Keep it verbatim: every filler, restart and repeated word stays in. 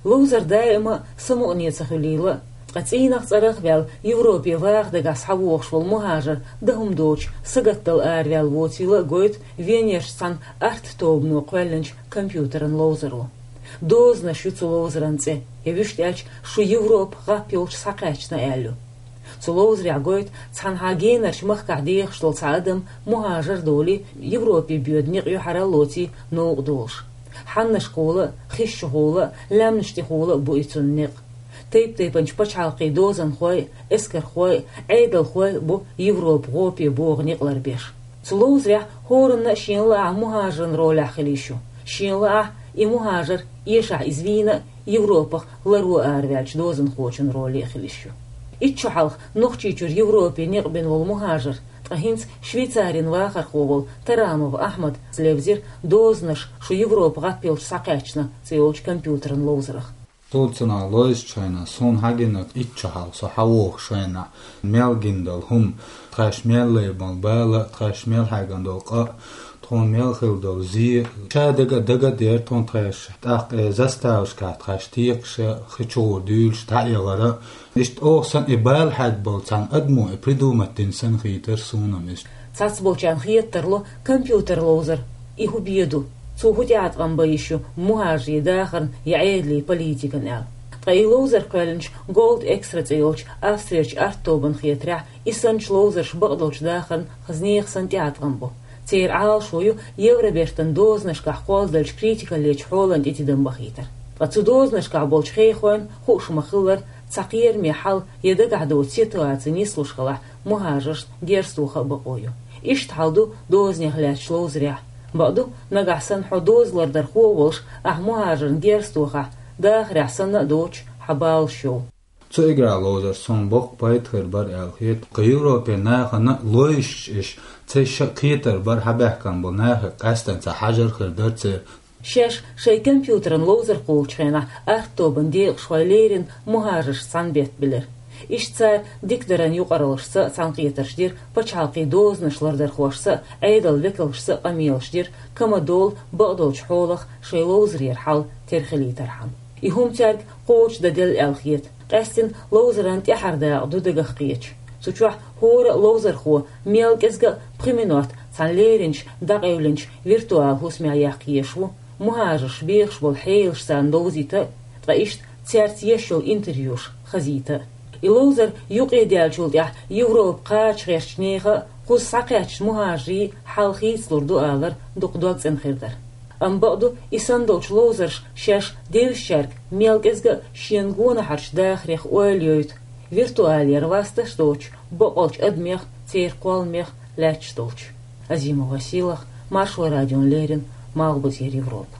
Ловзар даима самукъане ца хуьлийла, ткъа цӀийнах цӀарах ваьлла Европе ваха дагахь схьавогӀуш волу мухӀажар дан хӀума доцуш сагатдала араваьлла воцийла а гойту Венерчу цхьана арт-тобано кхоьллинчу компьютеран ловзаро. Дозанаш ю цу ловзаран цӀе, я вуьшта аьлча, шу Европа гӀап йолчу схьакхаьчна аьлла ю. Цу ловзарехь гойту цхьанхьа генарчу махкахь дехаш долу цхьа адам мухӀажар долий, Европе боьду некъ юьхьара лоций новкъа долуш. Хьаннашкахула а, хишчухула а, лаьмнаш тӀехула а бу и цунна некъ. Тайп-тайпанчу пачхьалкхийн дозанхой а, эскархой а, Ӏедалхой а бу Европа гӀопе богӀу некъ ларбеш. Цу ловзарехь хӀоранна а шена лаахь мухӀажаран ролехь хила йиш ю. Шена лаахь и мухӀажар, эшахь иза вийна а, Европах ларо араваьллачу дозанхочун роле а хила йиш ю. Итт шо хьалха Нохчийчуьра Европе некъ бина волу мухӀажар, ткъа хӀинца Швейцарин вахархо волу Тарамов Ахьмада левзира «Дозанаш, шу Европа гӀап йолчу схьакхаьчна» цӀе йолчу компьютеран ловзарах. Цул цунах лойзучу хенахь, суна хьагинарг итт шо хьалха со хьавогӀучу хенахь, мел гина долу хӀума, тхаьш мел лайбан бала, тхаьш мел хьаьгна долу къа, тхуна мел хилла долу зе, ша дага а дага а дера тхуна тхаьш, тӀаккха э заставашкахь тхаьш текхаша, хи чугӀур дуьйлуш дӀаэгӀара. Иштта оха санна и бала хьаьгна болу цхьана адамо и придумать дина санна хийтара суна-м иза. Цхьацболчарна хетарла компьютер ловзар, и хӀун бен ду, цо хӀун тӀеӀаткъам бан йиш ю мухӀажарийн дахарна я Ӏедалан политикана аьлла. Ткъа и ловзар кхоьллинчу Gold Extra цӀе йолчу Австрерчу арт-тобанна хетарехь, и санначу ловзарш бакъдолчу дахарна хаза нехан санна тӀеӀаткъам бу. Церан Ӏалашо ю Евробертан дозанашкахь кхолладеллачу критикаллечу хьолана тӀе тидам бахийтар. Ткъа цу дозанашкахь болчу хехойн хууш ма-хиллара, цхьа кхераме хьал я дагахь доцу ситуаци нислуш хилахь, мухӀажаршна герз тоха а бакъо ю. Иштта хьал ду дозанех лаьцначу ловзарехь. Бакъду, нагахь санна хьо доза лардархо а волуш, ахь мухӀажарна герз тохахь, дахарехь санна а доцуш, хьан баланаш йовла. Цу игра ловзарш суна боккха пайда хир бара аьлла хета. Кху Европе нахана лойзуш иш, цайша кхетар бара хьабаьхкина болу нахе къаьстина цхьа хьажар хир дара церан. Шаьш шайн компьютеран ловзар кхуллучу хенахь арт-тобанан декъашхой леррина мухӀажаршца цхьаьна беттабелира. Иштта цара дикадаран юкъараллашца а цхьаьнакхетарш дира, пачхьалкхийн дозанаш лардархошца а, Ӏедалан векалшца а къамелаш дира, кама долу бакъдолчу хьолах шайн ловзарера хьал тера хилийтархьама. И хӀума цаьрга кхочушдан делла аьлла хета. Къаьстина ловзаран тӀаьхьара дакъа ду дагах кхеташ. Цу чохь хӀора а ловзархо мел кӀезга а пхи минот цхьана леринчу, дӀакъевлинчу виртуал хӀусамехь яккха езаш ву, мухӀажарш бехаш болу хьелаш царна довзийта а, ткъа иштта цаьрца еш йолу интервьюш хазийта а. И ловзар юкъедаьллачул тӀаьхьа Европа кхача гӀертачу нехан а, кхуза схьакхаьчначу мухӀажарийн хьал хийцалур ду алар дукха догцӀена хир дара. Амма бакъду, и санна долчу ловзарша шаьш девзачаьрга мел кӀезга а шена гонахьарчу дахарех ойла йойту, виртуалера васташ доцуш бакъолчу адамех, церан кхолламех лаьтташ долчу. Азимова Сийлаха, Маршо радиона леррина, Малхбузера Европа.